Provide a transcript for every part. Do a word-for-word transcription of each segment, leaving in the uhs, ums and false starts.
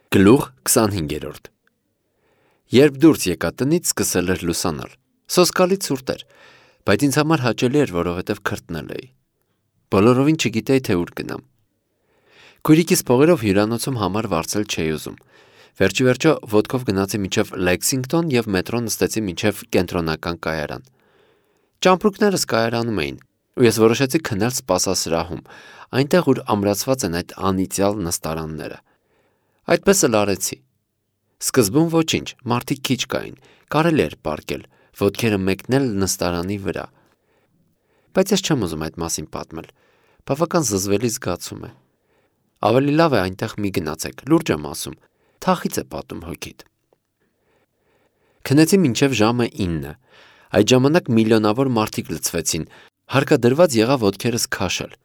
Գլուխ քսանհինգերորդ Երբ դուրս եկա տնից, սկսել էր լուսանալ, սոսկալի ցուրտ էր, բայց ինձ համար հաճելի էր, որովհետև քրտնել էի, բոլորովին չգիտեի, թե ուր գնամ, քույրիկիս փողերով հյուրանոցում համար վարձել չէի ուզում, վերջիվերջո ոտքով գնացի մինչև Լեքսինգտոն և մետրո նստեցի մինչև կենտրոնական կայարան, ճամպրուկներս կայարանում էին, ու ես որոշեցի քնել սպասասրահում, այնտեղ, ուր ամրացված են այդ անիծյալ նստարանները, այդպես էլ արեցի, սկզբում ոչինչ, մարդիկ քիչ կային, կարելի էր պառկել, ոտքերը մեկնել նստարանի վրա, բայց ես չեմ ուզում այդ մասին պատմել, բավական զզվելի զգացում է, ավելի լավ է այնտեղ մի գնացեք, լուրջ եմ ասում, թախից է պատում հոգիդ, քնեցի մինչև ժամը ինը, այդ ժամանակ միլիոնավոր մարդիկ լցվեցին, հարկադրված եղավ ոտքերս քաշել,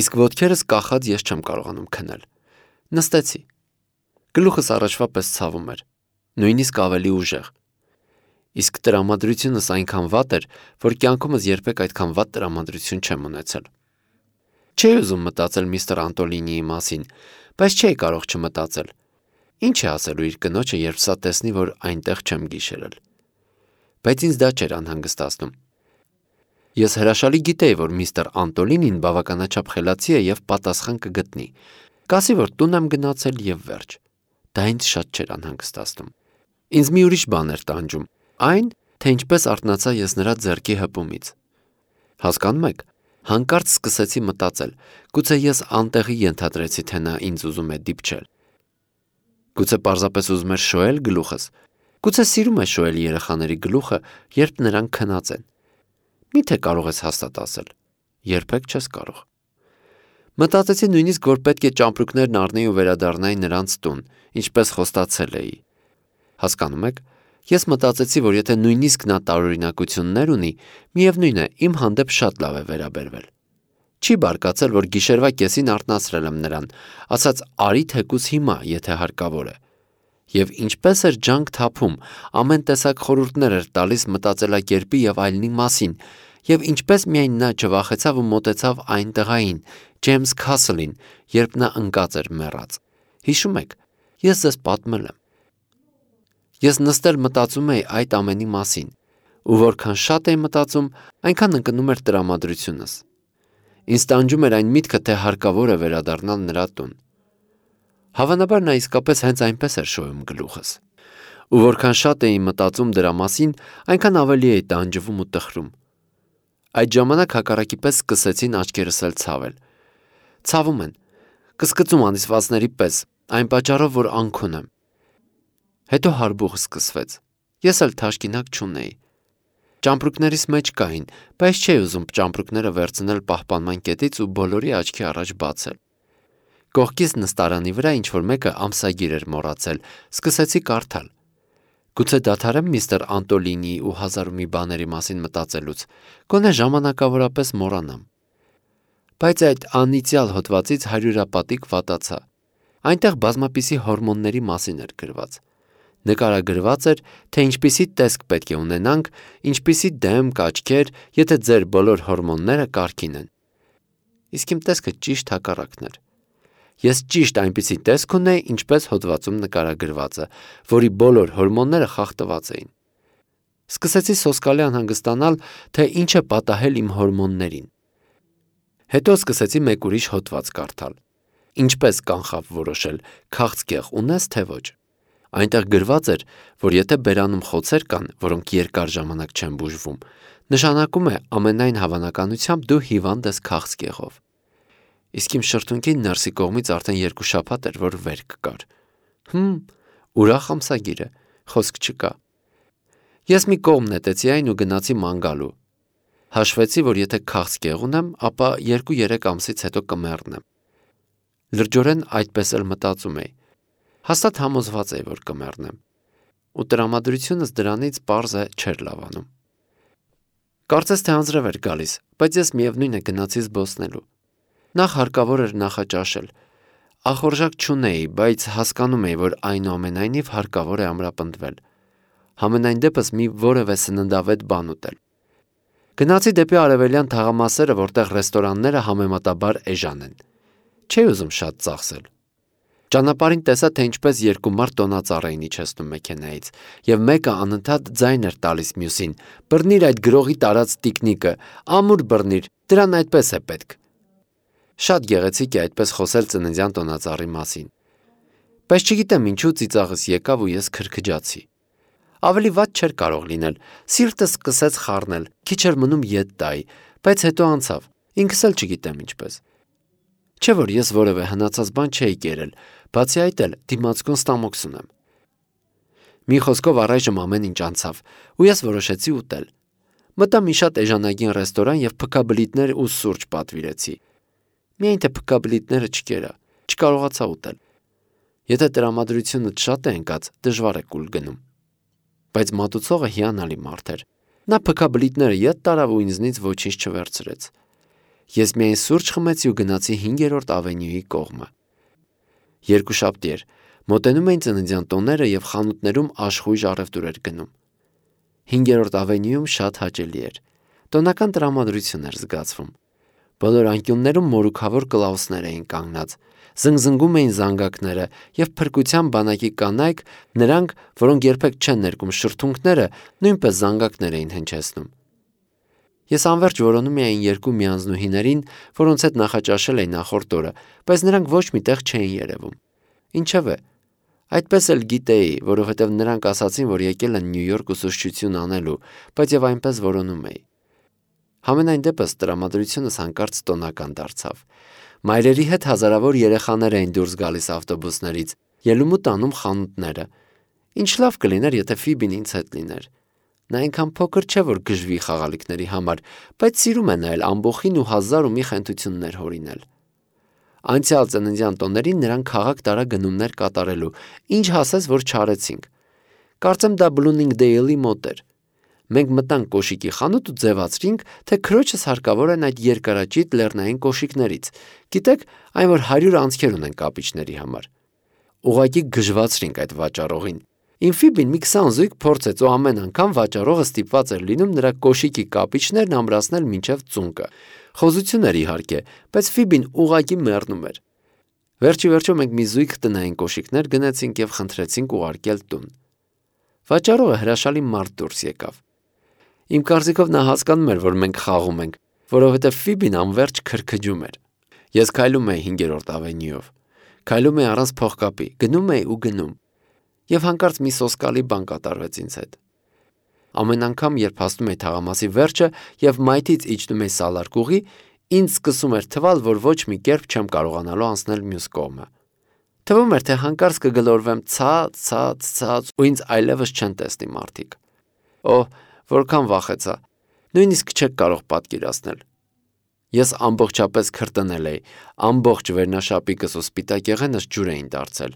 իսկ ոտքերս կախած ես չեմ կարողանում քնել, նստեցի, գլուխս առաջվա պես ցավում էր, նույնիսկ ավելի ուժեղ, իսկ տրամադրությունս այնքան վատ էր, որ կյանքումս երբեք այդքան վատ տրամադրություն չեմ ունեցել, չէի ուզում մտածել միստր Անտոլինիի մասին, բայց չէի կարող չմտածել, ինչ է ասելու իր կնոջը, երբ սա տեսնի, որ այնտեղ չեմ գիշերել, բայց ինձ դա չէր անհանգստացնում, ես հրաշալի գիտեի, որ միստր Անտոլինին բավականաչափ խելացի է և պատասխան կգտնի, կասի, որ տուն եմ գնացել և վերջ, դա ինձ շատ չէր անհանգստացնում, ինձ մի ուրիշ բան էր տանջում, այն, թե ինչպես արթնացա ես նրա ձեռքի հպումից, հասկանում եք, հանկարծ սկսեցի մտածել, գուցե ես անտեղի ենթադրեցի, թե նա ինձ ուզում է դիպչել, գուցե պարզապես ուզում էր շոյել գլուխս, գուցե սիրում է շոյել երեխաների գլուխը, երբ նրանք քնած են, միթե կարող ես հաստատ ասել, երբեք չես կարող, մտածեցի նույնիսկ, որ պետք է ճամպրուկներն առնեի ու վերադառնայի նրանց տուն, ինչպես խոստացել էի, հասկանում եք, ես մտածեցի, որ եթե նույնիսկ նա տարօրինակություններ ունի, միևնույն է, իմ հանդեպ շատ լավ է վերաբերվել, չի բարկացել, որ գիշերվա կեսին արթնացրել եմ նրան, ասաց արի թեկուզ հիմա, եթե հարկավոր է, և ինչպես էր ջանք թափում, ամեն տեսակ խորհուրդներ էր տալիս մտածելակերպի և այլնի մասին, և ինչպես միայն նա չվախեցավ ու մոտեցավ այն տղային, Ջեյմս Քասլին, երբ նա ընկած էր մեռած, հիշում եք, ես ձեզ պատմել եմ, ես նստել մտածում էի այդ ամենի մասին, ու որքան շատ էի մտածում, այնքան ընկնում էր տրամադրությունս, ինձ տանջում էր այն միտքը, թե հարկավոր է վերադառնալ նրա տուն, հավանաբար նա իսկապես հենց այնպես էր շոյում գլուխս, ու որքան շատ էի մտածում դրա մասին, այնքան ավելի էի տանջվում ու տխրում, այդ ժամանակ հակառակի պես սկսեցին աչքերս էլ ցավել, ցավում են, կսկծում անիծվածների պես, այն պատճառով, որ անքուն եմ, հետո հարբուխ սկսվեց, ես էլ թաշկինակ չունեի, ճամպրուկներիս մեջ կային, բայց չէի ուզում ճամպրուկները վերցնել պահպանման կետից ու բոլորի աչքի առաջ բացել, կողքից նստարանի վրա ինչ-որ մեկը ամսագիր էր մոռացել, սկսեցի կարդալ, գուցե դադարեմ միստր Անտոլինիի ու հազար ու մի բաների մասին մտածելուց, գոնե ժամանակավորապես մոռանամ, բայց այդ անիծյալ հոդվածից հարյուրապատիկ վատացա, այնտեղ բազմապիսի հորմոնների մասին էր գրված, նկարագրված էր, թե ինչպիսի տեսք պետք է ունենանք, ինչպիսի դեմք, աչքեր, եթե ձեր բոլոր հորմոնները կարգին են, իսկ իմ տեսքը ճիշտ հակառակն էր, ես ճիշտ այնպիսի տեսք ունեի, ինչպես հոդվածում նկարագրվածը, որի բոլոր հորմոնները խախտված էին, սկսեցի սոսկալի անհանգստանալ, թե ինչ է պատահել իմ հորմոններին, հետո սկսեցի մեկ ուրիշ հոդված կարդալ, ինչպես կանխավ որոշել, քաղցկեղ ունես թե ոչ, այնտեղ գրված էր, որ եթե բերանում խոցեր կան, որոնք երկար ժամանակ չեն բուժվում, նշանակում է ամենայն հավանականությամբ դու հիվանդ ես քաղցկեղով, իսկ իմ շրթունքի ներսի կողմից արդեն երկու շաբաթ էր, որ վերք կար, հմ, ուրախ ամսագիր է, խոսք չկա, ես մի կողմ նետեցի այն ու գնացի ման գալու, հաշվեցի, որ եթե քաղցկեղ ունեմ, ապա երկու-երեք ամսից հետո կմեռնեմ, լրջորեն այդպես էլ մտածում էի, հաստատ համոզված էի, որ կմեռնեմ, ու տրամադրությունս դրանից պարզ է չէր լավանում, կարծես թե անձրև էր գալիս, բայց ես միևնույն է գնացի զբոսնելու, նախ հարկավոր էր նախաճաշել, ախորժակ չունեի, բայց հասկանում էի, որ այնուամենայնիվ հարկավոր է ամրապնդվել, համենայն դեպս մի որևէ սննդավետ բան ուտել, գնացի դեպի արևելյան թաղամասերը, որտեղ ռեստորանները համեմատաբար էժան են, չէի ուզում շատ ծախսել, Ճանապարհին տեսա, թե ինչպես երկու մարդ տոնածառ էին իջեցնում մեքենայից, եւ մեկը անընդհատ ձայն էր տալիս մյուսին. «Բռնիր այդ գրողի տարած տիկնիկը, ամուր բռնիր, դրան այդպես է պետք»։ Շատ գեղեցիկ է այդպես խոսել ծննդյան տոնածառի մասին։ Բայց չգիտեմ ինչու ծիծաղս եկավ ու ես քրքջացի։ Ավելի վատ չէր կարող լինել, սիրտս սկսեց խառնել, քիչ էր մնում ետ տայի, բայց հետո անցավ, ինքս էլ չգիտեմ ինչպես։ Չէ՞ որ ես որևէ հնացած բան չէի կերել, բացի այդ էլ դիմացկուն ստամոքս ունեմ։ Մի խոսքով առայժմ ամեն ինչ անցավ, ու ես որոշեցի ուտել։ Մտա մի շատ էժանագին ռեստորան եւ փքաբլիթներ ու սուրճ պատվիրեցի։ Միայն թե փքաբլիթները չկերա, չկարողացա ուտել։ Եթե տրամադրությունը շատ է ընկած, դժվար է կուլ գնում։ Բայց մատուցողը հիանալի մարդ էր։ Նա փքաբլիթները ետ տարավ ու ինձնից ոչինչ չվերցրեց։ Ես միայն սուրճ խմեցի ու գնացի հինգերորդ ավենյուի կողմը։ Երկուշաբթի էր, մոտենում էին ծննդյան տոները եւ խանութներում աշխույժ առևտուր էր գնում։ Հինգերորդ ավենյուում շատ հաճելի էր։ Տոնական տրամադրություն էր զգացվում։ Բոլոր անկյուններում մորուքավոր կլաուսներ էին կանգնած, զնգզնգում էին զանգակները եւ փրկության բանակի կանայք, նրանք, որոնք երբեք չեն ներկում շրթունքները, նույնպես զանգակներ էին հնչեցնում։ Ես անverջ որոնում էի երկու միանձնուհիներին, որոնց հետ նախաճաշել էի նախորդ օրը, բայց նրանք ոչ մի տեղ չէին երևում։ Ինչևէ, այդպես էլ գիտեի, որովհետև նրանք ասացին, որ եկել են Նյու Յորք ուսուցչություն անելու, բայց եւ այնպես որոնում էի։ Համենայն դեպս տրամադրությունս հանկարծ տոնական դարձավ։ Մայրերի հետ հազարավոր երեխաներ էին դուրս գալիս ավտոբուսներից, ելում ու տանում խանութները։ Ինչ լավ կլիներ, եթե Ֆիբին ինձ հետ լիներ։ Նա այնքան փոքր չէ, որ գժվի խաղալիքների համար, բայց սիրում է նայել ամբոխին ու հազար ու մի խենթություններ հորինել։ Անցյալ ծննդյան տոներին նրանք քաղաք տարա գնումներ կատարելու, ինչ հասես, որ չարեցինք։ Կարծեմ դա Բլումինգդեյլի մոտ էր։ Մենք մտանք կոշիկի խանութ ու ձևացրինք, թե քրոջս հարկավոր են այդ երկարաճիտ լեռնային կոշիկներից։ Գիտեք, այն որ հարյուր անցքեր ունեն կապիչների համար։ Ուղղակի գժվացրինք այդ վաճառողին։ Իմ Ֆիբին մի քսան զույգ փորձեց ու ամեն անգամ վաճառողը ստիպված էր լինում նրա կոշիկի կապիչներն ամրացնել մինչև ծունկը։ Խոզություն էր իհարկե, բայց Ֆիբին ուղղակի մեռնում էր։ Վերջի վերջո մենք մի զույգ տնային կոշիկներ գնեցինք եւ խնդրեցինք ուղարկել տուն։ Վաճառողը հրաշալի մարդ դուրս եկավ։ Իմ կարծիքով նա հասկանում էր, որ մենք խաղում ենք, որովհետև Ֆիբին անverջ քրքջում էր։ Ես քայլում էի հինգերորդ ավենյուով։ Քայլում էի առանց փողկապի, գնում էի ու գնում։ Եվ հանկարծ մի սոսկալի բան կատարվեց ինձ հետ։ Ամեն անգամ, երբ հասնում էի թաղամասի վերջը եւ մայթից իջնում էի սալարկուղի, ինձ սկսում էր թվալ, որ ոչ մի կերպ չեմ կարողանալու անցնել մյուս կողմը։ Թվում էր, թե հանկարծ կգլորվեմ ցած, ցած, ցած ու ինձ այլևս չեն տեսնի մարդիկ։ Օհ, որքան վախեցա։ Նույնիսկ չեք կարող պատկերացնել։ Ես ամբողջապես քրտնել էի, ամբողջ վերնաշապիկս ու սպիտակ եղենս ջուր էին դարձել։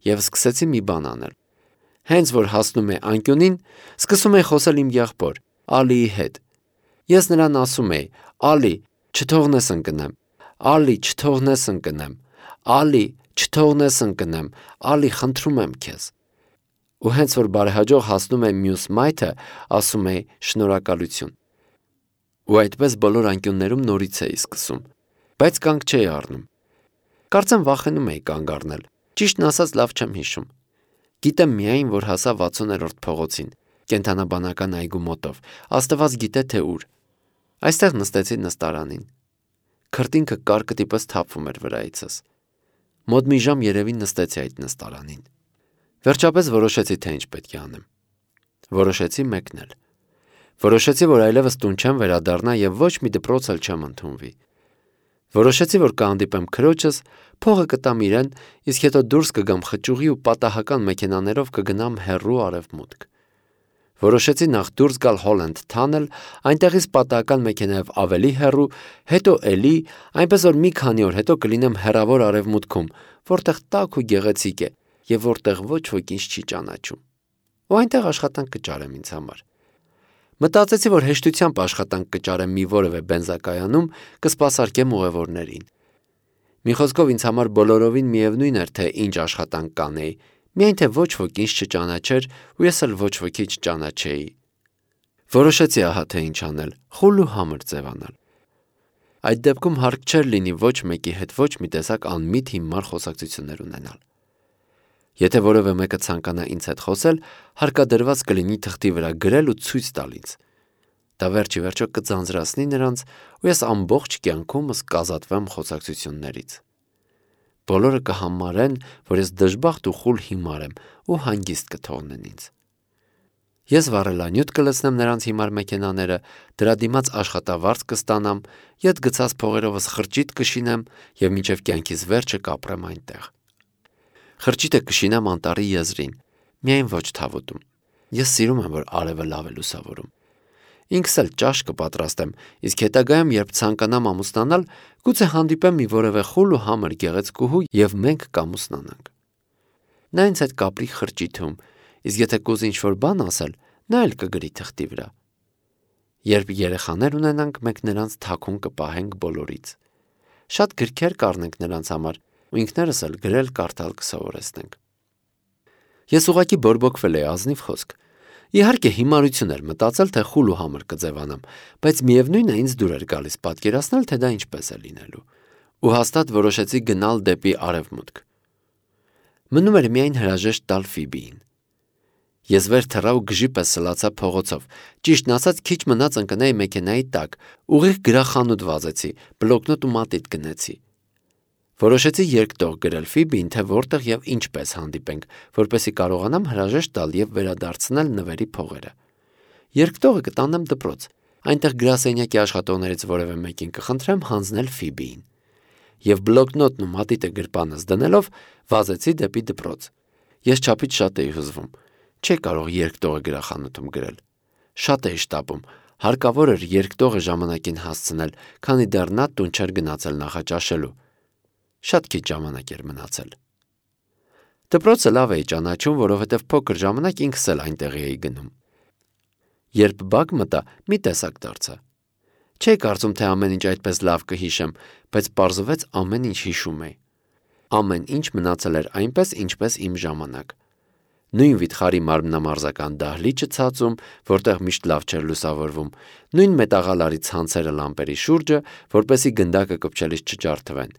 Եվ սկսեցի մի բան անել։ Հենց որ հասնում էի անկյունին, սկսում էի խոսել իմ եղբոր Ալիի հետ։ Ես նրան ասում էի. «Ալի, չթողնես ընկնեմ, Ալի, չթողնես ընկնեմ, Ալի, չթողնես ընկնեմ, Ալի, խնդրում եմ քեզ»։ Ու հենց որ բարեհաջող հասնում եմ մյուս մայթը, ասում էի շնորհակալություն։ Ու այդպես բոլոր անկյուններում նորից էի սկսում, բայց կանգ չէի առնում։ Կարծեմ վախենում էի կանգ առնել։ Ճիշտն ասած լավ չեմ հիշում։ Գիտեմ միայն, որ հասա վաթսուներորդ փողոցին, կենդանաբանական այգու մոտով, աստված գիտե թե ուր։ Այստեղ նստեցի նստարանին։ Քրտինքը կարկտի պես թափվում էր վրայիցս։ Մոտ մի ժամ երևի նստեցի այդ նստարանին։ Վերջապես որոշեցի, թե ինչ պետք է անեմ։ Որոշեցի մեկնել։ Որոշեցի, որ այլևս տուն չեմ վերադառնա եւ ոչ մի դպրոց էլ չեմ ընդունվի։ Որոշեցի, որ կհանդիպեմ քրոջս, փողը կտամ իրեն, իսկ հետո դուրս կգամ խճուղի ու պատահական մեքենաներով կգնամ հեռու արևմուտք։ Որոշեցի նախ դուրս գալ Հոլենդ Թանել, այնտեղից պատահական մեքենայով ավելի հեռու, հետո էլի, այնպես որ մի քանի օր հետո կլինեմ հեռավոր արևմուտքում, որտեղ տաք ու գեղեցիկ է եւ որտեղ ոչ ոք ինձ չի ճանաչում։ Ու այնտեղ աշխատանք կճարեմ ինձ համար։ Մտածեցի, որ հեշտությամբ աշխատանք կճարեմ մի որևէ բենզակայանում, կսպասարկեմ ուղևորներին։ Մի խոսքով ինձ համար բոլորովին միևնույն էր, թե ինչ աշխատանք կանեի, միայն թե ոչ ոք ինձ չճանաչեր ու ես էլ ոչ ոքի չճանաչեի։ Որոշեցի ահա թե ինչ անել, խուլ ու համր ձևանալ։ Այդ դեպքում հարկ չէր լինի ոչ մեկի հետ ոչ մի տեսակ անմիտ հիմար խոսակցություններ ունենալ։ Եթե որևէ մեկը ցանկանա ինձ հետ խոսել, հարկադրված կլինի թղթի վրա գրել ու ցույց տալ ինձ։ Դա վերջի վերջո կձանձրացնի նրանց, ու ես ամբողջ կյանքումս կազատվեմ խոսակցություններից։ Բոլորը կհամարեն, որ ես դժբախտ ու խուլ հիմար եմ ու հանգիստ կթողնեն ինձ։ Ես վառելանյութ կլցնեմ նրանց հիմար մեքենաները, դրա դիմաց աշխատավարձ կստանամ, ետ գցած փողերովս խրճիթ կշինեմ և մինչև կյանքիս վերջը կապրեմ այնտեղ։ Խրճիթը կշինեմ անտառի եզրին, միայն ոչ թավուտում։ Ես սիրում եմ, որ արևը լավ է լուսավորում։ Ինքս էլ ճաշ կպատրաստեմ, իսկ հետագայում, երբ ցանկանամ ամուսնանալ, գուցե հանդիպեմ մի որևէ խուլ ու համր գեղեցկուհու և մենք կամուսնանանք։ Նա ինձ հետ կապրի խրճիթում, իսկ եթե կուզի ինչ-որ բան ասել, նա էլ կգրի թղթի վրա։ Երբ երեխաներ ունենանք, մենք նրանց թաքուն կպահենք բոլորից։ Շատ գրքեր կառնենք նրանց համար ու ինքներս էլ գրել կարդալ կսովորեցնենք։ Ես ուղղակի բորբոքվել էի ազնիվ խոսք։ Իհարկե հիմարություն էր մտածել, թե խուլ ու համր կձևանամ, բայց միևնույն է ինձ դուր էր գալիս պատկերացնել, թե դա ինչպես է լինելու։ Ու հաստատ որոշեցի գնալ դեպի արևմուտք։ Մնում էր միայն հրաժեշտ տալ Ֆիբիին։ Ես վեր թռա ու գժի պես սլացա փողոցով, ճիշտն ասած քիչ մնաց ընկնեի մեքենայի տակ, ուղիղ գրախանութ վազեցի, բլոկնոտ ու մատիտ գնեցի։ Որոշեցի երկտող գրել Ֆիբիին, թե որտեղ և ինչպես հանդիպենք, որպեսզի կարողանամ հրաժեշտ տալ և վերադարձնել նվերի փողերը։ Երկտողը կտանեմ դպրոց, այնտեղ գրասենյակի աշխատողներից որևէ մեկին կխնդրեմ հանձնել Ֆիբիին։ Եվ բլոկնոտն ու մատիտը գրպանս դնելով վազեցի դեպի դպրոց։ Ես չափից շատ էի հուզվում, չէի կարող երկտողը գրախանութում գրել։ Շատ էի շտապում, հարկավոր էր երկտողը ժամանակին հասցնել, քանի դեռ նա տուն չէր գնացել նախաճաշելու։ Շատ քիչ ժամանակ էր մնացել։ Դպրոցը լավ էի ճանաչում, որովհետև փոքր ժամանակ ինքս էլ այնտեղ էի գնում։ Երբ բակ մտա, մի տեսակ դարձա։ Չէի կարծում, թե ամեն ինչ այդպես լավ կհիշեմ, բայց պարզվեց ամեն ինչ հիշում էի։ Ամեն ինչ մնացել էր այնպես, ինչպես իմ ժամանակ։ Նույն վիթխարի մարմնամարզական դահլիճը ցածում, որտեղ միշտ լավ չէր լուսավորվում, նույն մետաղալարի ցանցերը լամպերի շուրջը, որպեսզի գնդակը կպչելիս չջարդվեն,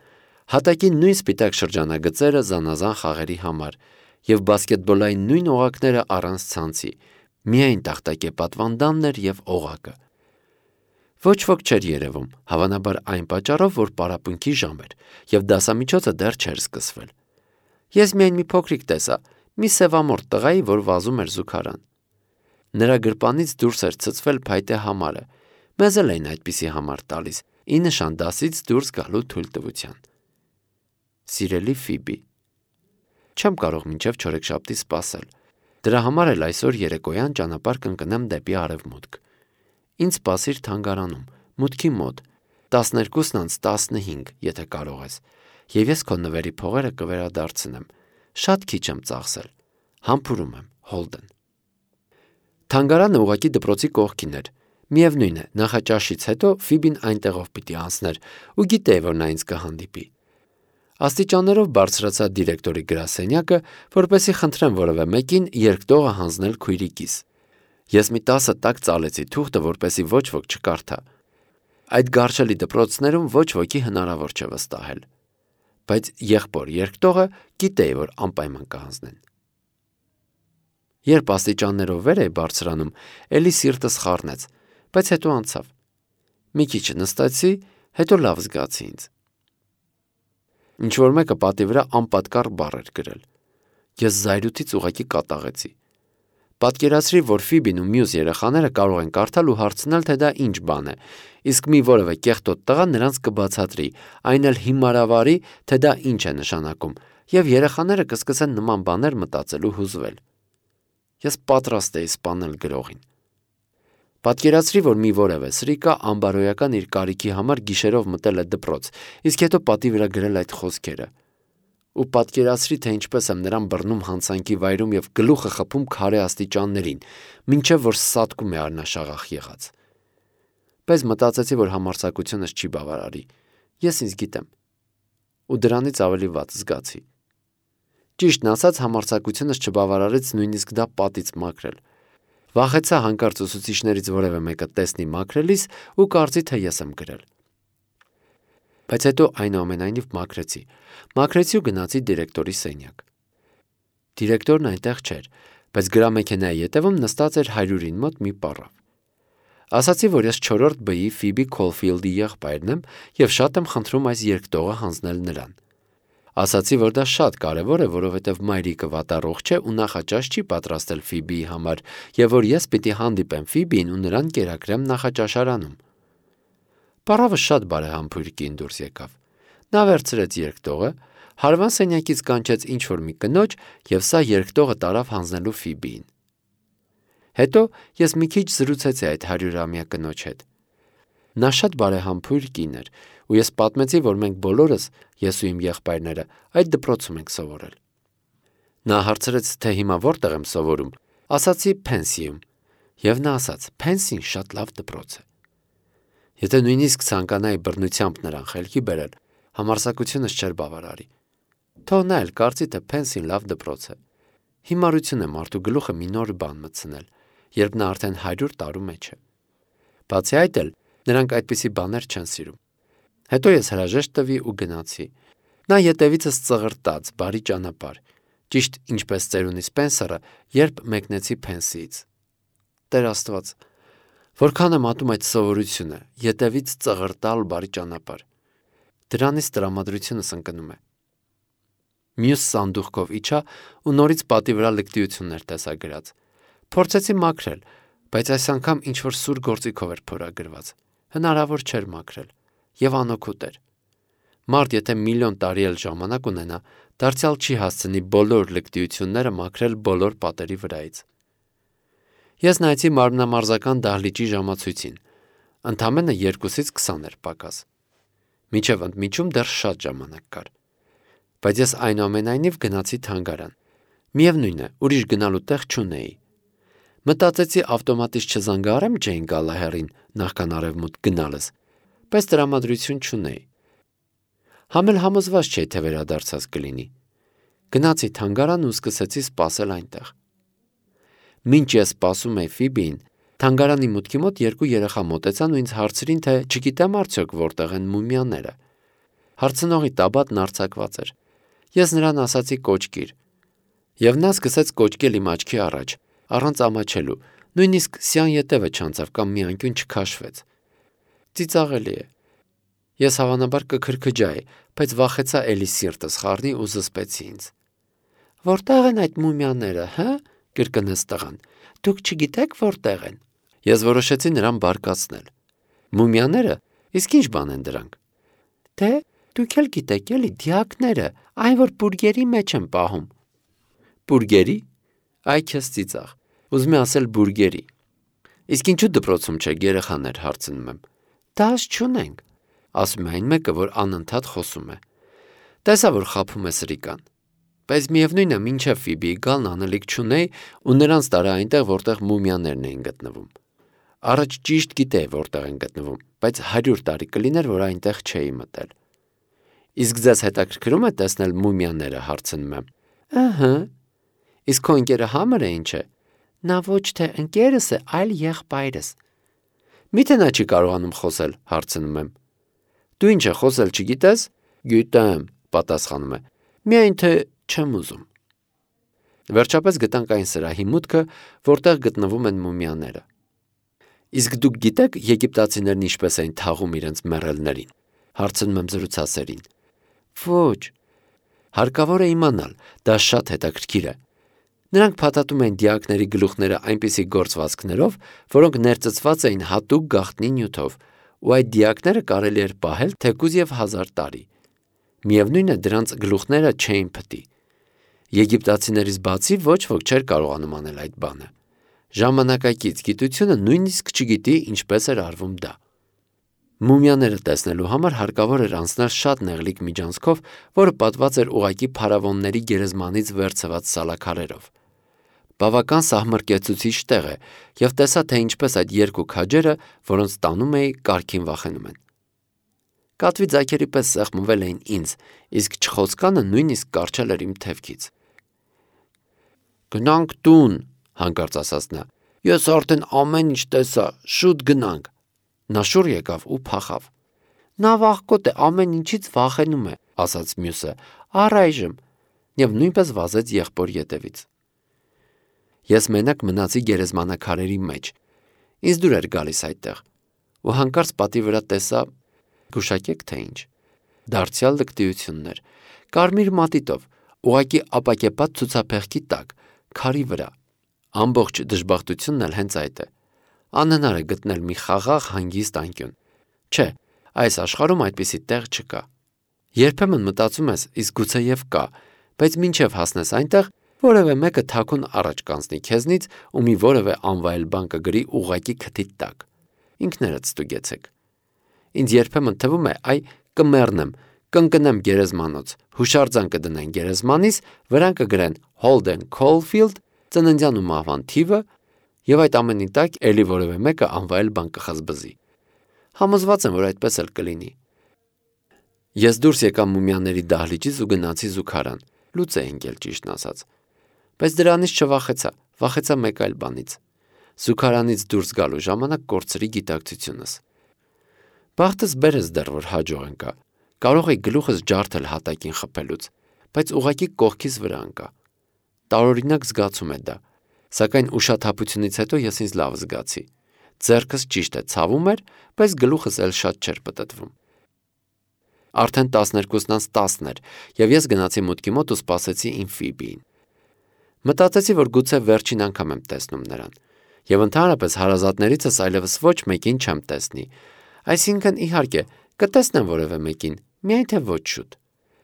հատակի նույն սպիտակ շրջանագծերը զանազան խաղերի համար և բասկետբոլային նույն օղակները առանց ցանցի, միայն տախտակե պատվանդանն էր և օղակը։ Ոչ ոք չէր երևում, հավանաբար այն պատճառով, որ պարապմունքի ժամ էր և դասամիջոցը դեռ չէր սկսվել։ Ես միայն մի փոքրիկ տեսա, մի սևամորթ տղայի, որ վազում էր զուգարան։ Նրա գրպանից դուրս էր ցցվել փայտե համարը, մեզ էլ էին այդպիսի համար տալիս, ի նշան դասից դուրս գալու թույլտվության։ Սիրելի Ֆիբի, չեմ կարող մինչև չորեքշաբթի սպասել։ Դրա համար էլ այսօր երեկոյան ճանապարհ կընկնեմ դեպի արևմուտք։ Ինձ սպասիր թանգարանում, մուտքի մոտ, տասներկուսն անց տասնհինգ, եթե կարող ես, և ես քո նվերի փողերը կվերադարձնեմ։ Շատ քիչ եմ ծախսել։ Համբուրում եմ, Հոլդեն։ Թանգարանը ուղղակի դպրոցի կողքին էր։ Միևնույն է, նախաճաշից հետո Ֆիբին այնտեղով պիտի անցներ ու գիտեի, որ նա ինձ կհանդիպի։ Աստիճաններով բարձրացա դիրեկտորի գրասենյակը, որպեսզի խնդրեմ որևէ մեկին երկտողը հանձնել քույրիկիս։ Ես մի տասը տակ ծալեցի թուղթը, որպեսզի ոչ ոք չկարդա։ Այդ գարշելի դպրոցներում ոչ ոքի հնարավոր չէ վստահել։ Բայց եղբոր երկտողը գիտեի, որ անպայման կհանձնեն։ Երբ աստիճաններով վեր էի բարձրանում, էլի սիրտս խառնեց, բայց հետո անցավ։ Մի քիչ նստեցի, հետո լավ զգացի ինձ։ Ինչ-որ մեկը պատի վրա անպատկառ բառ էր գրել։ Ես զայրույթից ուղղակի կատաղեցի։ Պատկերացրի, որ Ֆիբին ու մյուս երեխաները կարող են կարդալ ու հարցնել, թե դա ինչ բան է, իսկ մի որևէ կեղտոտ տղա նրանց կբացատրի, այն էլ հիմարավարի, թե դա ինչ է նշանակում, և երեխաները կսկսեն նման բաներ մտածել ու հուզվել։ Ես պատրաստ էի սպանել գրողին։ Պատկերացրի, որ մի որևէ սրիկա անբարոյական իր կարիքի համար գիշերով մտել է դպրոց, իսկ հետո պատի վրա գրել այդ խոսքերը։ Ու պատկերացրի, թե ինչպես եմ նրան բռնում հանցանքի վայրում և գլուխը խփում քարե աստիճաններին, մինչև որ սատկում է արնաշաղախ եղած։ Բայց մտածեցի, որ համարձակությունս չի բավարարի։ Ես ինձ գիտեմ։ Ու դրանից ավելի վատ զգացի։ Ճիշտն ասած, համարձակությունս չբավարարեց նույնիսկ դա պատից մաքրել։ Վախեցա հանկարծ ուսուցիչներից որևէ մեկը տեսնի մաքրելիս ու կարծի, թե ես եմ գրել։ Բայց հետո այնուամենայնիվ մաքրեցի։ Մաքրեցի ու գնացի դիրեկտորի սենյակ։ Դիրեկտորն այնտեղ չէր, բայց գրամեքենայի ետևում նստած էր հարյուրին մոտ մի պառավ։ Ասացի, որ ես չորրորդ բի Ֆիբի Քոլֆիլդի եղբայրն եմ և շատ եմ խնդրում այս երկտողը հանձնել նրան։ Ասացի, որ դա շատ կարևոր է, որովհետև մայրիկը վատառողջ չէ ու նախաճաշ չի պատրաստել Ֆիբիի համար, և որ ես պիտի հանդիպեմ Ֆիբիին ու նրան կերակրեմ նախաճաշարանում։ Պառավը շատ բարեհամբույր կին դուրս եկավ։ Նա վերցրեց երկտողը, հարևան սենյակից կանչեց ինչ-որ մի կնոջ և սա երկտողը տարավ հանձնելու Ֆիբիին։ Հետո ես մի քիչ զրուցեցի այդ հարյուրամյա կնոջ հետ։ Նա շատ բարեհամբույր կին էր, ու ես պատմեցի, որ մենք բոլորս, ես ու իմ եղբայրները, այդ դպրոցում ենք սովորել։ Նա հարցրեց, թե հիմա որտեղ եմ սովորում։ Ասացի Փենսիում, և նա ասաց. Փենսին շատ լավ դպրոց է։ Եթե նույնիսկ ցանկանայի բռնությամբ նրան խելքի բերել, համարձակությունս չէր բավարարի։ Թող նա էլ կարծի, թե Փենսին լավ դպրոց է։ Հիմարություն է մարդու գլուխը մի նոր բան մտցնել, երբ նա արդեն հարյուր տարու մեջ է։ Բացի այդ էլ, նրանք այդպիսի բաներ չեն սիրում։ Հետո ես հրաժեշտ տվի ու գնացի։ Նա ետևիցս ծղրտաց, բարի ճանապարհ, ճիշտ ինչպես ծերունի Սպենսերը, երբ մեկնեցի Փենսիից։ Տեր Աստված, որքան եմ ատում այդ սովորությունը, ետևից ծղրտալ բարի ճանապարհ։ Դրանից տրամադրությունս ընկնում է։ Մյուս սանդուղքով իջա ու նորից պատի վրա լկտիություններ տեսա գրած։ Փորձեցի մաքրել, բայց այս անգամ ինչ-որ սուր գործիքով էր փորագրված։ Հնարավոր չէր մաքրել, և անօգուտ էր։ Մարդ, եթե միլիոն տարի էլ ժամանակ ունենա, դարձյալ չի հասցնի բոլոր լկտիությունները մաքրել բոլոր պատերի վրայից։ Ես նայեցի մարմնամարզական դահլիճի ժամացույցին։ Ընդամենը երկուսից քսան էր պակաս։ Մինչև ընդմիջում դեռ շատ ժամանակ կար։ Բայց ես այնուամենայնիվ գնացի թանգարան։ Միևնույն է, ուրիշ գնալու տեղ չունեի։ Մտածեցի ավտոմատից չզանգահարեմ Ջեյն Գալահերին նախքան արևմուտք գնալս, բայց տրամադրություն չունեի։ Համ էլ համոզված չէի, թե վերադարձած կլինի։ Գնացի թանգարան ու սկսեցի սպասել այնտեղ։ Մինչ ես սպասում էի Ֆիբիին, թանգարանի մուտքի մոտ երկու երեխա մոտեցան ու ինձ հարցրին, թե չգիտեմ արդյոք որտեղ են մումիաները։ Հարցնողի տաբատն արձակված էր։ Ես նրան ասացի կոճկիր։ Եվ նա սկսեց կոճկել իմ աչքի առաջ, առանց ամաչելու, նույնիսկ սյան ետևը չանցավ կամ մի անկյուն չքաշվեց։ Ծիծաղելի է։ Ես հավանաբար կքրքջայի, բայց վախեցա էլի սիրտս խառնի ու զսպեցի ինձ։ Որտեղ են այդ մումիաները, հա՞, կրկնեց տղան։ Դուք չգիտեք որտեղ են։ Ես որոշեցի նրան բարկացնել։ Մումիաները, իսկ ինչ բան են դրանք։ Դե, դուք էլ գիտեք էլի, դիակները, այն որ բուրգերի մեջ են պահում։ Բուրգերի։ Այ քեզ ծիծաղ։ Ուզում եմ ասել բուրգերի։ Իսկ ինչու դպրոցում չեք երեխաներ, հարցնում եմ։ Դաս չունենք, ասում է այն մեկը, որ անընդհատ խոսում է։ Տեսա, որ խաբում է սրիկան։ Բայց միևնույն է, մինչև Ֆիբիի գալն անելիք չունեի ու նրանց տարա այնտեղ, որտեղ մումիաներն էին գտնվում։ Առաջ ճիշտ գիտեի, որտեղ են գտնվում, բայց հարյուր տարի կլիներ, որ այնտեղ չէի մտել։ Իսկ ձեզ հետաքրքրում է տեսնել մումիաները, հարցնում եմ։ Ըհը։ Իսկ քո ընկերը Համերը ինչ է։ Նա ոչ թե ընկերս է, այլ եղբայրս։ Միթե նա չի կարողանում խոսել, հարցնում եմ։ Դու ինչ է խոսել չգիտես։ Գիտեմ, պատասխանում է։ Միայն թե չեմ ուզում։ Վերջապես գտանք այն սրահի մուտքը, որտեղ գտնվում են մումիաները։ Իսկ դուք գիտեք եգիպտացիներն ինչպես էին թաղում իրենց մեռելներին, հարցնում եմ զրուցասերին։ Ոչ։ Հարկավոր է իմանալ, դա շատ հետաքրքիր է։ Նրանք փաթաթում էին դիակների գլուխները այնպիսի գործվածքներով, որոնք ներծծված էին հատուկ գաղտնի նյութով, ու այդ դիակները կարելի էր պահել թեկուզ և հազար տարի։ Միևնույն է, դրանց գլուխները չէին փտի։ Եգիպտացիներից բացի ոչ ոք չէր կարողանում անել այդ բանը։ Ժամանակակից գիտությունը նույնիսկ չգիտի ինչպես էր արվում դա։ Մումիաները տեսնելու համար հարկավոր էր անցնել շատ նեղլիկ միջանցքով, որը պատված էր ուղղակի փարավոնների գերեզմանից վերցված սալաքարերով։ Բավական սահմռկեցուցիչ տեղ է, և տեսա, թե ինչպես այդ երկու քաջերը, որոնց տանում էի, կարգին վախենում են։ Կատվի ձագերի պես սեղմվել էին ինձ, իսկ չխոցկանը նույնիսկ կառչել էր իմ թևքից։ Գնանք տուն, հանկարծ ասաց նա։ Ես արդեն ամեն ինչ տեսա, շուտ գնանք։ Նա շուռ եկավ ու փախավ։ Նա վախկոտ է, ամեն ինչից վախենում է, ասաց մյուսը, առայժմ, եւ նույնպես վազեց եղբոր ետևից։ Ես մենակ մնացի գերեզմանակարերի մեջ, ինձ դուր էր գալիս այդտեղ, ու հանկարծ պատի վրա տեսա, գուշակեք թե ինչ, դարձյալ լկտիություններ, կարմիր մատիտով, ուղղակի ապակեպատ ցուցափեղկի տակ, քարի վրա։ Ամբողջ դժբախտությունն էլ հենց այդ է։ Անհնար է գտնել մի խաղաղ հանգիստ անկյուն։ Չէ, այս աշխարհում այդպիսի տեղ չկա։ Երբեմն մտածում ես, իսկ գուցեև կա, բայց մինչև հասնես այնտեղ, որևէ մեկը թաքուն առաջ կանցնի քեզնից ու մի որևէ անվայել բան կգրի ուղղակի քթիդ տակ։ Ինքներդ ստուգեցեք։ Ինձ երբեմն թվում է, այ կմեռնեմ, կընկնեմ գերեզմանոց, հուշարձան կդնեն գերեզմանիս, վրան կգրեն Holden Caulfield, ծննդյան ու մահվան թիվը, եւ այդ ամենի տակ էլի որևէ մեկը անվայել բան կխզբզի։ Համոզված եմ, որ այդպես էլ կլինի։ Ես դուրս եկա մումիաների դահլիճից ու գնացի զուգարան, լուծ է ընկել ճիշտն ասած։ Բայց դրանից չվախեցա, վախեցա մեկ այլ բանից։ Զուգարանից դուրս գալու ժամանակ կորցրի գիտակցությունս։ Բախտս բերեց դեռ որ հաջող ընկա։ Կարող էի գլուխս ջարդել հատակին խփելուց, բայց ուղղակի կողքիս վրա ընկա։ Տարօրինակ զգացում է դա, սակայն ուշաթափությունից հետո ես ինձ լավ զգացի։ Ձեռքս ճիշտ է ցավում էր, բայց գլուխս էլ շատ չէր պտտվում։ Արդեն տասներկուսն անց տասն էր, եւ ես գնացի մուտքի մոտ ու սպասեցի իմ Ֆիբիին։ Մտածեցի, որ գուցե վերջին անգամ եմ տեսնում նրան, եւ ընդհանրապես հարազատներիցս այլևս ոչ մեկին չեմ տեսնի։ Այսինքն, իհարկե, կտեսնեմ որևէ մեկին, միայն թե ոչ շուտ։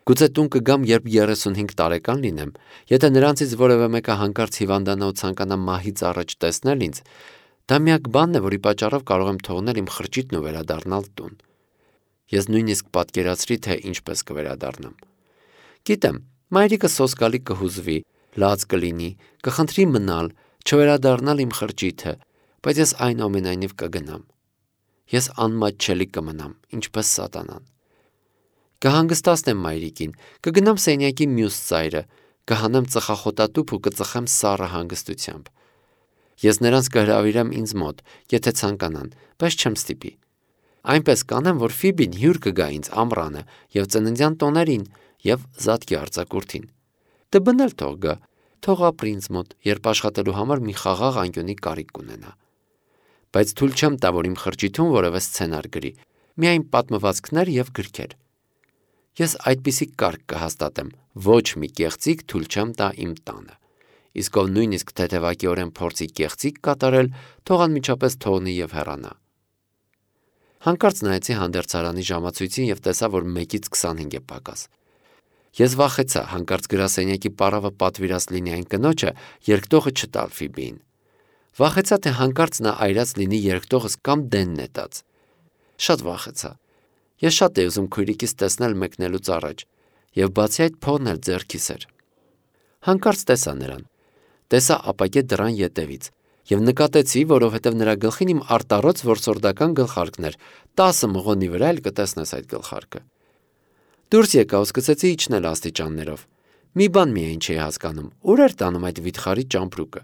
Գուցե տուն կգամ, երբ երեսունհինգ տարեկան լինեմ, եթե նրանցից որևէ մեկը հանկարծ հիվանդանա ու ցանկանա մահից առաջ տեսնել ինձ, դա միակ բանն է, որի պատճառով կարող եմ թողնել իմ խրճիթն ու վերադառնալ տուն։ Ես նույնիսկ պատկերացրի, թե ինչպես կվերադառնամ։ Գիտեմ, մայրիկը սոսկալի կհուզվի, լաց կլինի, կխնդրի մնալ, չվերադառնալ իմ խրճիթը, բայց ես այնուամենայնիվ կգնամ։ Ես անմատչելի կմնամ, ինչպես սատանան։ Կհանգստացնեմ մայրիկին, կգնամ սենյակի մյուս ծայրը, կհանեմ ծխախոտատուփ ու կծխեմ սառը հանգստությամբ։ Ես նրանց կհրավիրեմ ինձ մոտ, եթե ցանկանան, բայց չեմ ստիպի։ Այնպես կանեմ, որ Ֆիբին հյուր կգա ինձ ամռանը եւ ծննդյան տոներին եւ զատկի արձակուրդին։ Դբնել թող գա, թող ապրի ինձ մոտ, երբ աշխատելու համար մի խաղաղ անկյունի կարիք կունենա։ Բայց թույլ չեմ տա, որ իմ խրճիթում որևէ սցենար գրի, միայն պատմվածքներ եւ գրքեր։ Ես այդպիսի կարգ կհաստատեմ, ոչ մի կեղծիք թույլ չեմ տա իմ տանը։ Իսկ ով նույնիսկ թեթևակիորեն փորձի կեղծիք կատարել, թող անմիջապես թողնի եւ հեռանա։ Հանկարծ նայեցի հանդերձարանի ժամացույցին եւ տեսա, որ մեկից քսանհինգ է պակաս։ Ես վախեցա, հանկարծ գրասենյակի պարավը պատվիրած լինի այն կնոջը, երկտողը չտալ Ֆիբիին։ Վախեցա, թե հանկարծ նա այրած լինի երկտողս կամ դեն նետած։ Շատ վախեցա։ Ես շատ էի ուզում քույրիկիս տեսնել մեկնելուց առաջ, եւ բացի այդ փողն էլ ձեռքիս էր։ Հանկարծ տեսա նրան։ Տեսա ապակե դռան ետևից եւ նկատեցի, որովհետեւ նրա գլխին իմ արտառոց որսորդական գլխարկն էր, տասը մղոնի վրա էլ կտեսնես այդ գլխարկը։ Դուրս եկա ու սկսեցի իջնել աստիճաններով։ Մի բան միայն չէի հասկանում, ուր էր տանում այդ վիթխարի ճամպրուկը։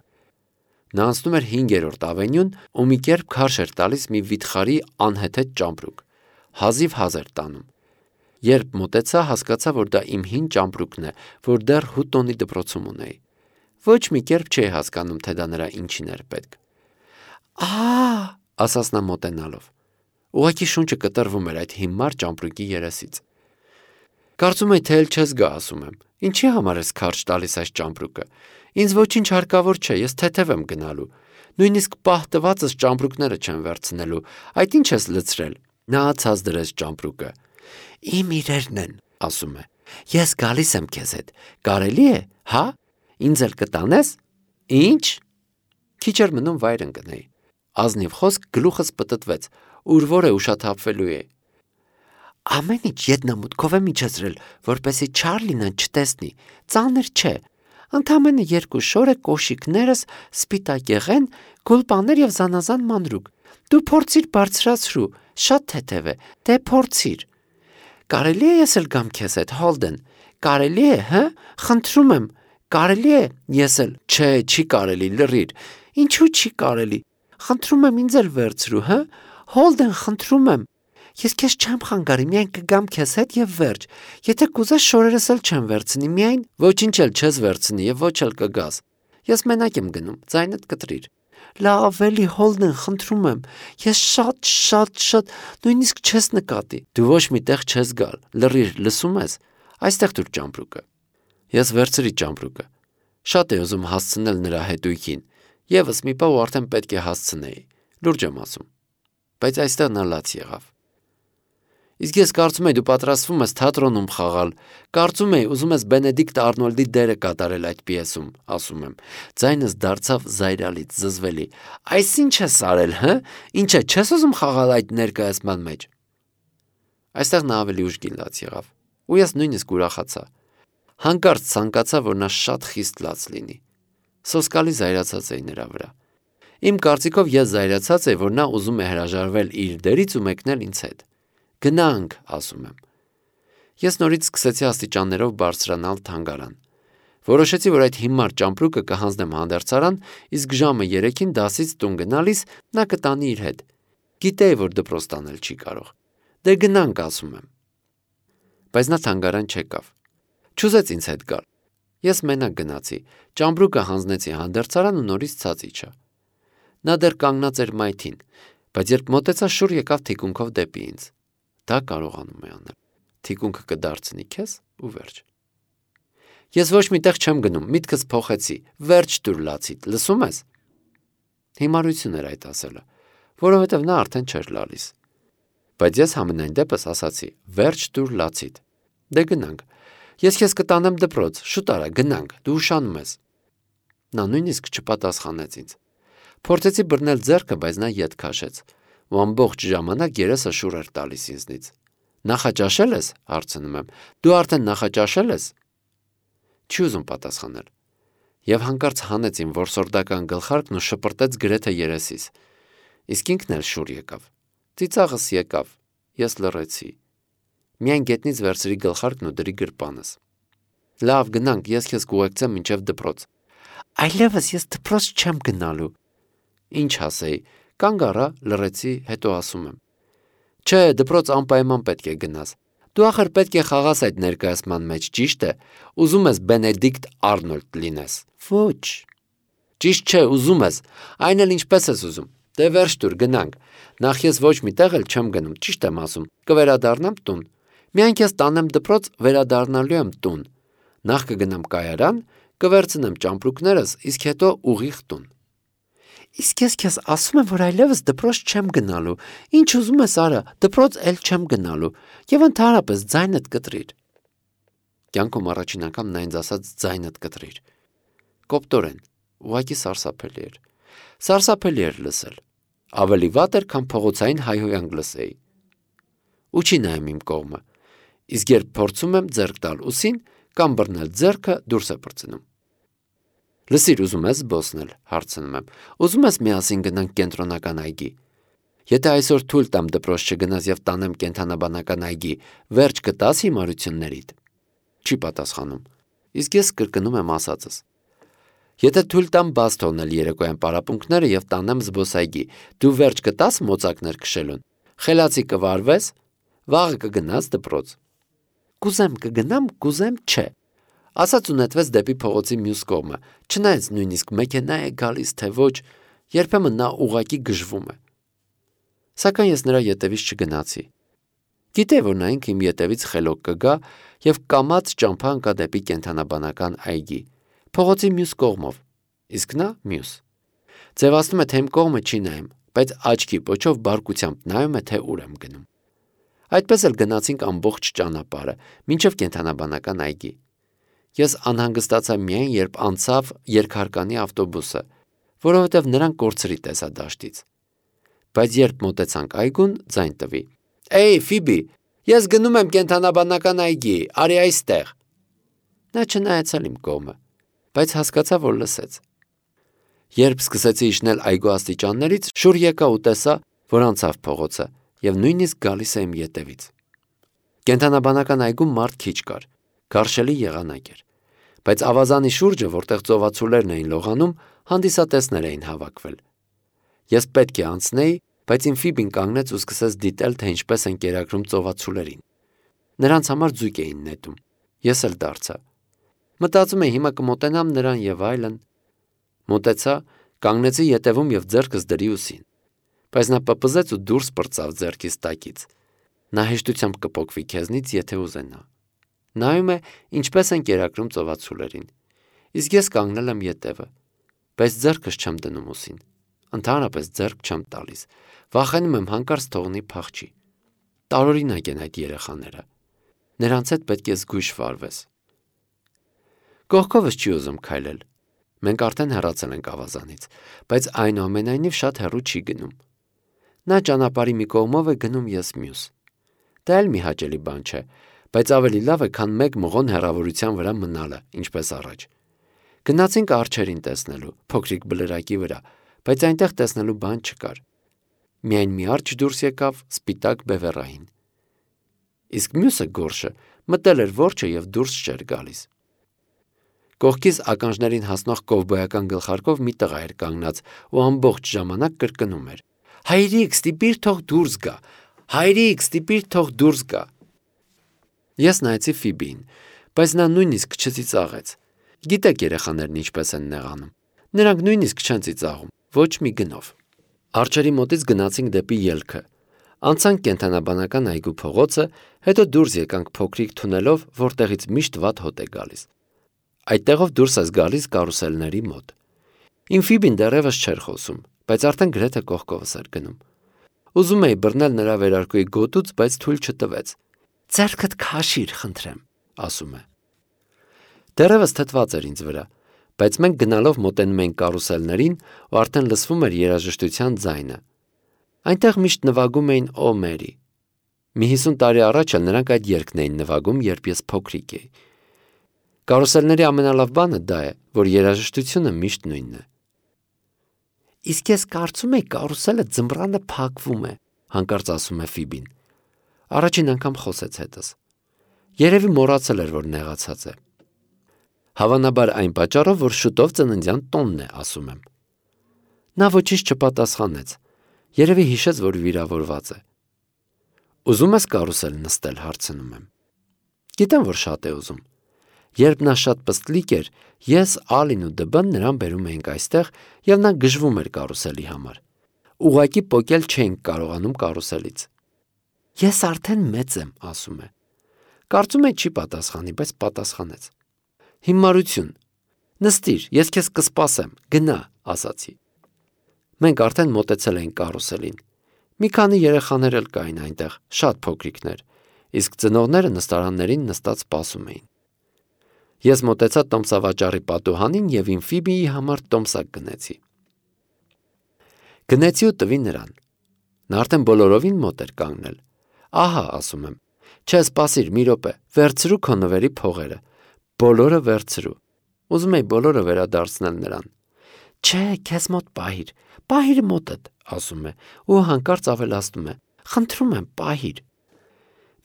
Նա անցնում էր հինգերորդ ավենյուն ու մի կերպ քարշ էր տալիս մի վիթխարի անհեթեթ ճամպրուկ։ Հազիվ հազ էր տանում։ Երբ մոտեցա, հասկացա, որ դա իմ հին ճամպրուկն է, որ դեռ Հուտոնի դպրոցում ունեի։ Ոչ մի կերպ չէի հասկանում, թե դա նրա ինչին էր պետք։ Ահա, ասաց նա մոտենալով։ Ուղղակի շունչը կտրվում էր այդ հիմար ճամպրուկի երեսից։ Կարծում եի, թե էլ չես գա, ասում եմ։ Ինչի համար ես քարշ տալիս այս ճամպրուկը։ Ինձ ոչինչ հարկավոր չէ, ես թեթև եմ գնալու։ Նույնիսկ պահ տվածս ճամպրուկները չեմ վերցնելու։ Այդ ինչ ես լցրել։ Նա ացած դրեց ճամպրուկը։ Իմ իրերն են, ասում է։ Ես գալիս եմ քեզ հետ։ Կարելի է, հա։ Ինձ էլ կտանես։ Ինչ։ Քիչ էր մնում վայր ընկնեի։ Ազնիվ խոսք գլուխս պտտվեց, ուր որ է ուշաթափվելու է։ Ամեն ինչ ետնամուտքով եմ իջեցրել, որպեսզի Չարլին չտեսնի։ Ծանր չէ։ Ընդամենը երկու շոր է կոշիկներս, սպիտակեղեն, գուլպաներ եւ զանազան մանրուկ։ Դու փորձիր բարձրացրու, շատ թեթև է, դե փորձիր։ Կարելի է ես էլ գամ քեզ հետ, Հոլդեն։ Կարելի է, հը։ Խնդրում եմ, կարելի է ես էլ։ Չէ, չի կարելի, լռիր։ Ինչու չի կարելի։ Խնդրում եմ ինձ էլ վերցրու, հը։ Հոլդեն, խնդրում եմ։ Ես քեզ չեմ խանգարի, միայն կգամ քեզ հետ եւ վերջ։ Եթե կուզես շորերս էլ չեմ վերցնի, միայն ոչինչ էլ չես վերցնի եւ ոչ էլ կգաս։ Ես մենակ եմ գնում, ձայնդ կտրիր։ Լավ, էլի Հոլդեն, խնդրում եմ։ Ես շատ, շատ, շատ, նույնիսկ չես նկատի։ Դու ոչ մի տեղ չես գալ։ Լռիր, լսում ես։ Այստեղ դուր ճամպրուկը։ Ես վերցրի ճամպրուկը։ Շատ է ուզում հասցնել նրա հետույքին։ Եվս մի պահ ու արդեն պետք է հասցնեի։ Լուրջ եմ ասում։ Բայց այստեղ նա լաց եղավ։ Իսկ ես կարծում եի դու պատրաստվում ես թատրոնում խաղալ, կարծում եի ուզում ես Բենեդիկտ Արնոլդի դերը կատարել այդ պիեսում, ասում եմ։ Ձայնս դարձավ զայրալից, զզվելի։ Այս ինչ ես արել, հը? Ինչ է, չես ուզում խաղալ այդ ներկայացման մեջ։ Այստեղ նա ավելի ուժգին լաց եղավ, ու ես նույնիսկ ուրախացա։ Հանկարծ ցանկացա, որ նա շատ խիստ լաց լինի։ Սոսկալի զայրացած էի նրա վրա։ Իմ կարծիքով ես զայրացած էի, որ նա ուզում է հրաժարվել իր դերից ու մեկնել ինձ հետ։ Գնանք, ասում եմ։ Ես նորից սկսեցի աստիճաններով բարձրանալ թանգարան։ Որոշեցի, որ այդ հիմար ճամպրուկը կհանձնեմ հանդերձարան, իսկ ժամը երեքին դասից տուն գնալիս նա կտանի իր հետ։ Գիտեի, որ դպրոց տանել չի կարող։ Դե գնանք, ասում եմ։ Բայց նա թանգարան չեկավ։ Չուզեց ինձ հետ գալ։ Ես մենակ գնացի, ճամպրուկը հանձնեցի հանդերձարան ու նորից ցած իջա։ Նա դեռ կանգնած էր մայթին, բայց երբ մոտեցա, շուռ եկավ թիկունքով դեպի ինձ։ Դա կարողանում է անել։ Թիկունքը կդարձնի քեզ ու վերջ։ Ես ոչ միտեղ չեմ գնում, միտքս փոխեցի, վերջ դուր լացիդ, լսում ես։ Հիմարություն էր այդ ասելը, որովհետև նա արդեն չէր լալիս։ Բայց ես համենայն դեպս ասացի, վերջ դուր լացիդ։ Դե գնանք։ Ես քեզ կտանեմ դպրոց, շուտ արա, գնանք, դու ուշանում ես։ Նա նույնիսկ չպատասխանեց ինձ։ Փորձեցի բռնել ձեռքը, բայց նա ետ քաշեց։ Ու ամբողջ ժամանակ երեսը շուռ էր տալիս ինձնից։ Նախաճաշել ես, հարցնում եմ։ Դու արդեն նախաճաշել ես։ Չի ուզում պատասխանել։ Եվ հանկարծ հանեց իմ որսորդական գլխարկն ու շպրտեց գրեթե երեսիս։ Իսկ ինքն էլ շուռ եկավ։ Ծիծաղս եկավ։ Ես լռեցի։ Միայն գետնից վերցրի գլխարկն ու դրի գրպանս։ Լավ, գնանք, ես քեզ կուղեկցեմ մինչև դպրոց։ Այլևս ես դպրոց չեմ գնալու։ Ինչ ասեի, կանգ առա, լռեցի, հետո ասում եմ. Չէ, դպրոց անպայման պետք է գնաս։ Դու ախր պետք է խաղաս այդ ներկայացման մեջ, ճիշտ է։ Ուզում ես Բենեդիկտ Արնոլդ լինես։ Ոչ։ Ճիշտ չէ, ուզում ես։ Այն էլ ինչպես ես ուզում։ Դե վերջ դուր, գնանք։ Նախ ես ոչ մի տեղ էլ չեմ գնում, ճիշտ եմ ասում։ Կվերադառնամ տուն։ Միայն քեզ տանեմ դպրոց, վերադառնալու եմ տուն։ Նախ կգնամ կայարան, կվերցնեմ ճամպրուկներս, իսկ հետո ուղիղ տուն։ Իսկ ես քեզ ասում եմ, որ այլևս դպրոց չեմ գնալու։ Ինչ ուզում ես արա, դպրոց էլ չեմ գնալու։ Եվ ընդհանրապես ձայնդ կտրիր։ Կյանքում առաջին անգամ նա ինձ ասաց ձայնդ կտրիր։ Կոպտորեն, ուղղակի սարսափելի էր։ Սարսափելի էր լսել։ Ավելի վատ էր, քան փողոցային հայհոյանք լսեի։ Ու չի նայում իմ կողմը։ Իսկ երբ փորձում եմ ձեռք տալ ուսին կամ բռնել ձեռքը, դուրս է պրծնում։ Լսիր, ուզում ես զբոսնել, հարցնում եմ։ Ուզում ես միասին գնանք կենտրոնական այգի։ Եթե այսօր թույլ տամ դպրոց չգնաս եւ տանեմ կենթանաբանական այգի, վերջ կտաս հիմարություններիդ։ Չի պատասխանում։ Իսկ ես կրկնում եմ ասածս։ Եթե թույլ տամ բաց թողնել երեկոյան պարապմունքները եւ տանեմ զբոսայգի, դու վերջ կտաս մոծակներ քշելուն։ Խելացի կվարվես, վաղը կգնաս դպրոց։ Կուզեմ կգնամ, կուզեմ չէ։ Ասաց ու նետվեց դեպի փողոցի մյուս կողմը, չնայած նույնիսկ մեքենա է գալիս, թե ոչ, երբեմն նա ուղակի գժվում է։ Սակայն ես նրա ետևից չգնացի։ Գիտեի, որ նա ինքը իմ ետևից խելոք կգա եւ կամած ճամփա ընկա դեպի կենթանաբանական այգի, փողոցի մյուս կողմով, իսկ նա մյուս։ Ձևացնում է, թե իմ կողմը չի նայում, բայց աչքի պոչով բարկությամբ նայում է, թե ուր եմ գնում։ Այդպես էլ գնացինք ամբողջ ճանապարհը, մինչև կենթանաբանական այգի։ Ես անհանգստացա միայն, երբ անցավ երկհարկանի ավտոբուսը, որովհետև նրան կորցրի տեսա դաշտից։ Բայց երբ մոտեցանք այգուն, ձայն տվի. Էй, Ֆիբի, ես գնում եմ կենթանաբանական այգի, արի այստեղ։ Նա չնայեցել իմ կողմը, բայց հասկացա, որ լսեց։ Երբ սկսեցի իջնել այգու աստիճաններից, շուռ եկա ու տեսա, որ անցավ փողոցը եւ նույնիսկ գալիս է իմ ետևից։ Կենթանաբանական այգում մարդ քիչ կար, քարշելի եղանակ էր, բայց ավազանի շուրջը, որտեղ ծովացուլերն էին լողանում, հանդիսատեսներ էին հավաքվել։ Ես պետք է անցնեի, բայց Ինֆիբին կանգնեց ու սկսեց դիտել, թե ինչպես են կերակրում ծովածուլերին։ Նրանց համար ձուկ էին նետում։ Ես էլ դարձա։ Մտածում էի հիմա կմոտենամ նրան եւ այլն։ Մոտեցա, կանգնեցի ետևում եւ ձեռքս դրի ուսին։ Բայց նա պպզեց ու դուրս պրծավ ձեռքից տակից։ Նա հեշտությամբ կփոկվի քեզնից, եթե ուզենա։ Նայում է, ինչպես են կերակրում ծովածուլերին։ Իսկ ես կանգնել եմ ետևը, բայց ձեռքս չեմ դնում ուսին։ Ընդհանրապես ձեռք չեմ տալիս։ Վախենում եմ հանկարծ թողնի փախչի։ Տարօրինակ են այդ երեխաները։ Նրանց հետ պետք է զգույշ վարվես։ Կողքովս չի ուզում քայլել։ Մենք արդեն հեռացել ենք ավազանից, բայց այնուամենայնիվ շատ հեռու չի գնում։ Նա ճանապարհի մի կողմով է գնում, ես մյուս։ Դա էլ մի հաճելի բան չէ, բայց ավելի լավ է, քան մեկ մղոն հեռավորության վրա մնալը, ինչպես առաջ։ Գնացինք արջերին տեսնելու, փոքրիկ բլրակի վրա, բայց այնտեղ տեսնելու բան չկար։ Միայն մի արջ դուրս եկավ, սպիտակ բևեռային։ Իսկ մյուսը գորշը մտել էր որջը եւ դուրս չէր գալիս։ Կողքից ականջներին հասնող կովբոյական գլխարկով մի տղա էր կանգնած ու ամբողջ ժամանակ կրկնում էր. «Հայրիկ, ստիպիր թող դուրս գա, հայրիկ, ստիպիր թող դուրս գա»։ Ես նայեցի Ֆիբիին, բայց նա նույնիսկ չծիծաղեց։ Գիտեք երեխաներն ինչպես են նեղանում։ Նրանք նույնիսկ չեն ծիծաղում, ոչ մի գնով։ Արջերի մոտից գնացինք դեպի ելքը։ Անցանք կենդանաբանական այգու փողոցը, հետո դուրս եկանք փոքրիկ թունելով, որտեղից միշտ վատ հոտ է գալիս։ Այդտեղով դուրս ես գալիս կարուսելների մոտ։ Ինֆիբին դեռևս չէր խոսում, բայց արդեն գրեթե կողքովս էր գնում։ Ուզում էի բռնել նրա վերարկուի գոտուց, բայց թույլ չտվեց։ «Ձեռքդ քաշիր, խնդրեմ», ասում է։ Դեռևս թթված էր ինձ վրա, բայց մենք գնալով մոտենում էինք կարուսելներին ու արդեն լսվում էր երաժշտության ձայնը։ Այնտեղ միշտ նվագում էին «Օ Մերի»։ Մի հիսուն տարի առաջ էլ նրանք այդ երգն էին նվագում, երբ ես փոքրիկ էի։ Կարուսելների ամենալավ բանը դա է, որ երաժշտությունը միշտ նույնն է։ Իսկ ես կարծում եի կարուսելը ձմռանը փակվում է, հանկարծ ասում է Ֆիբին։ Առաջին անգամ խոսեց հետս։ Երևի մոռացել էր, որ նեղացած է։ Հավանաբար այն պատճառով, որ շուտով ծննդյան տոնն է, ասում եմ։ Նա ոչինչ չպատասխանեց։ Երևի հիշեց, որ վիրավորված է։ Ուզում ես կարուսել նստել, հարցնում եմ։ Գիտեմ, որ շատ է ուզում։ Երբ նա շատ պստլիկ էր, ես, Ալին ու Դբն նրան բերում էինք այստեղ եւ նա գժվում էր կարուսելի համար։ Ուղղակի պոկել չէինք կարողանում կարուսելից։ Ես արդեն մեծ եմ, ասում է։ Կարծում եմ չի պատասխանի, բայց պատասխանեց։ Հիմարություն։ Նստիր, ես քեզ կսպասեմ, գնա, ասացի։ Մենք արդեն մոտեցել էինք կարուսելին։ Մի քանի երեխաներ էլ կային այնտեղ, շատ փոքրիկներ, իսկ ծնողները նստարաններին նստած սպասում էին։ Ես մոտեցա տոմսավաճառի պատուհանին եւ Ինֆիբիի համար տոմսակ գնեցի։ Գնեցի ու տվի նրան։ Նա արդեն բոլորովին մոտ էր կանգնել։ Ահա, ասում եմ։ Չէ, սպասիր, մի րոպե, վերցրու քո նվերի փողերը։ Բոլորը վերցրու։ Ուզում էի բոլորը վերադարձնել նրան։ Չէ, քեզ մոտ պահիր, պահիր մոտդ, ասում է, ու հանկարծ ավելացնում է. Խնդրում եմ, պահիր։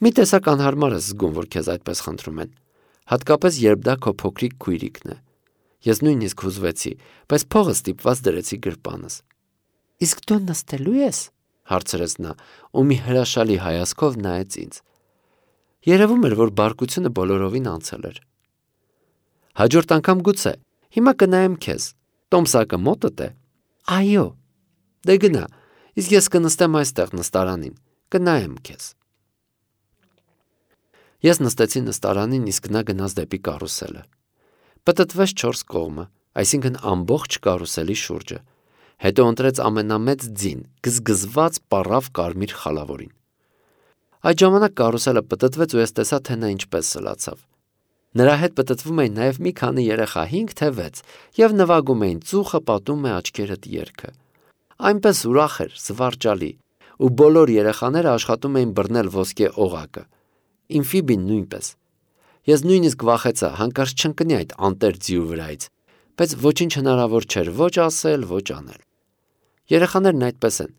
Մի տեսակ անհարմար ես զգում, որ քեզ այդպես խնդրում են, հատկապես երբ դա քո փոքրիկ քույրիկն է։ Ես նույնիսկ հուզվեցի, բայց փողը ստիպված դրեցի գրպանս։ Իսկ դու նստելու ես, հարցրեց նա, ու մի հրաշալի հայացքով նայեց ինձ։ Երևում էր, որ բարկությունը բոլորովին անցել էր։ Հաջորդ անգամ գուցե, հիմա կնայեմ քեզ, տոմսակը մոտդ է։ Այո։ Դե գնա, իսկ ես կնստեմ այստեղ նստարանին, կնայեմ քեզ։ Ես նստեցի նստարանին, իսկ նա գնաց դեպի կարուսելը։ Պտտվեց չորս կողմը, այսինքն ամբողջ կարուսելի շուրջը։ Հետո ընտրեց ամենամեծ ձին, գզգզված պառավ կարմիր խալավորին։ Այդ ժամանակ կարուսելը պտտվեց ու ես տեսա, թե նա ինչպես սլացավ։ Նրա հետ պտտվում էին նաև մի քանի երեխա, հինգ թե վեց, եւ նվագում էին ծուխը պատում է աչքերդ երգը։ Այնպես ուրախ էր, զվարճալի, ու բոլոր երեխաները աշխատում էին բռնել ոսկե օղակը։ Ինֆիբին նույնպես։ Ես նույնիսկ վախեցա, հանկարծ չընկնի այդ անտեր ձիու վրայից, բայց ոչինչ հնարավոր չէր ոչ ասել, ոչ անել։ Երեխաներն այդպես են։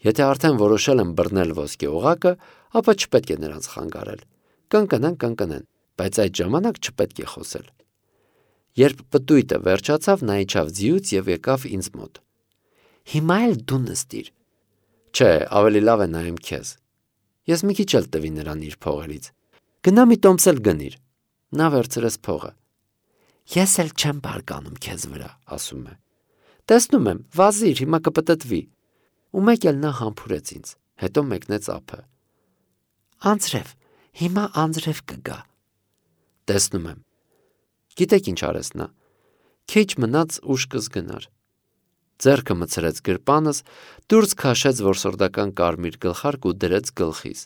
Եթե արդեն որոշել են բռնել ոսկե օղակը, ապա չպետք է նրանց խանգարել։ Կընկնեն, կընկնեն, բայց այդ ժամանակ չպետք է խոսել։ Երբ պտույտը վերջացավ, նա իջավ ձիուց եւ եկավ ինձ մոտ։ Հիմա էլ դու նստիր։ Չէ, ավելի լավ է նայեմ քեզ։ Ես մի քիչ էլ տվի նրան իր փողերից։ Գնա մի տոմս էլ գնիր։ Նա վերցրեց փողը։ Ես էլ չեմ բարկանում քեզ վրա, ասում է։ Տեսնում եմ, վազիր, հիմա կպտտվի։ Ու մեկ էլ նա համբուրեց ինձ, հետո մեկնեց ափը։ Անձրև, հիմա անձրև կգա։ Տեսնում եմ։ Գիտեք ինչ արեց նա։ Քիչ մնաց ուշ կզգնար։ Ձեռքը մցրեց գրպանս, դուրս քաշեց որսորդական կարմիր գլխարկ ու դրեց գլխիս։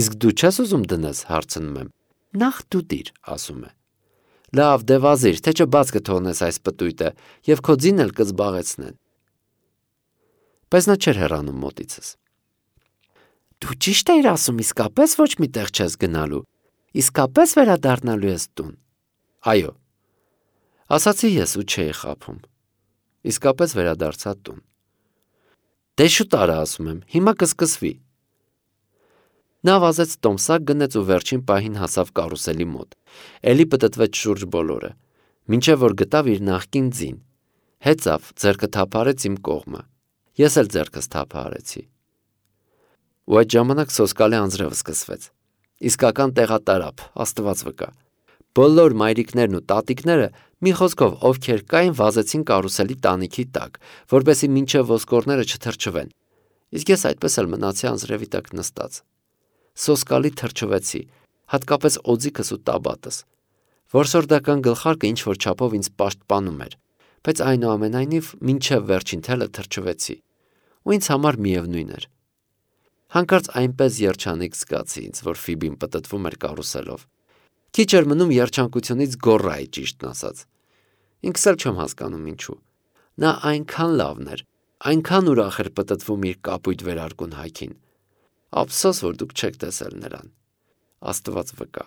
Իսկ դու չես ուզում դնես, հարցնում եմ։ Նախ դու դիր, ասում է։ Լավ, դե վազիր, թե չէ բաց կթողնես այս պտույտը եւ քո ձին էլ կզբաղեցնեն։ Բայց նա չէր հեռանում մոտիցս։ Դու ճիշտ էիր ասում, իսկապես ոչ մի տեղ չես գնալու։ Իսկապես վերադառնալու ես տուն։ Այո։ Ասացի ես ու չէի խաբում։ Իսկապես վերադարձա տուն։ Դե շուտ արա, ասում եմ, հիմա կսկսվի։ Նա վազեց տոմսակ, գնեց ու վերջին պահին հասավ կարուսելի մոտ։ Էլի պտտվեց շուրջ բոլորը, մինչև որ գտավ իր նախկին ձին։ Հեծավ, ձեռքը թափարեց իմ կողմը։ Ես էլ ձեռքս թափահարեցի։ Ու այդ ժամանակ սոսկալի անձրև սկսվեց։ Իսկական տեղատարափ, Աստված վկա։ Բոլոր մայրիկներն ու տատիկները, մի խոսքով, ովքեր կային, վազեցին կարուսելի տանիքի տակ, որպեսզի մինչև ոսկորները չթրջվեն։ Իսկ ես այդպես էլ մնացի անձրևի տակ նստած։ Սոսկալի թրջվեցի, հատկապես օձիքս ու տաբատս։ Որսորդական գլխարկը ինչ-որ չափով ինձ պաշտպանում էր, բայց այնուամենայնիվ մինչև վերջին թելը թրջվեցի, ու ինձ համար միևնույն էր։ Հանկարծ այնպես երջանիկ զգացի ինձ, որ Ֆիբին պտտվում էր կարուսելով։ Քիչ էր մնում երջանկությունից գոռայի, ճիշտն ասած։ Ինքս էլ չեմ հասկանում ինչու։ Նա այնքան լավն էր, այնքան ուրախ էր պտտվում իր կապույտ վերարկուն հայքին։ Ափսոս, որ դուք չեք տեսել նրան։ Աստված վկա։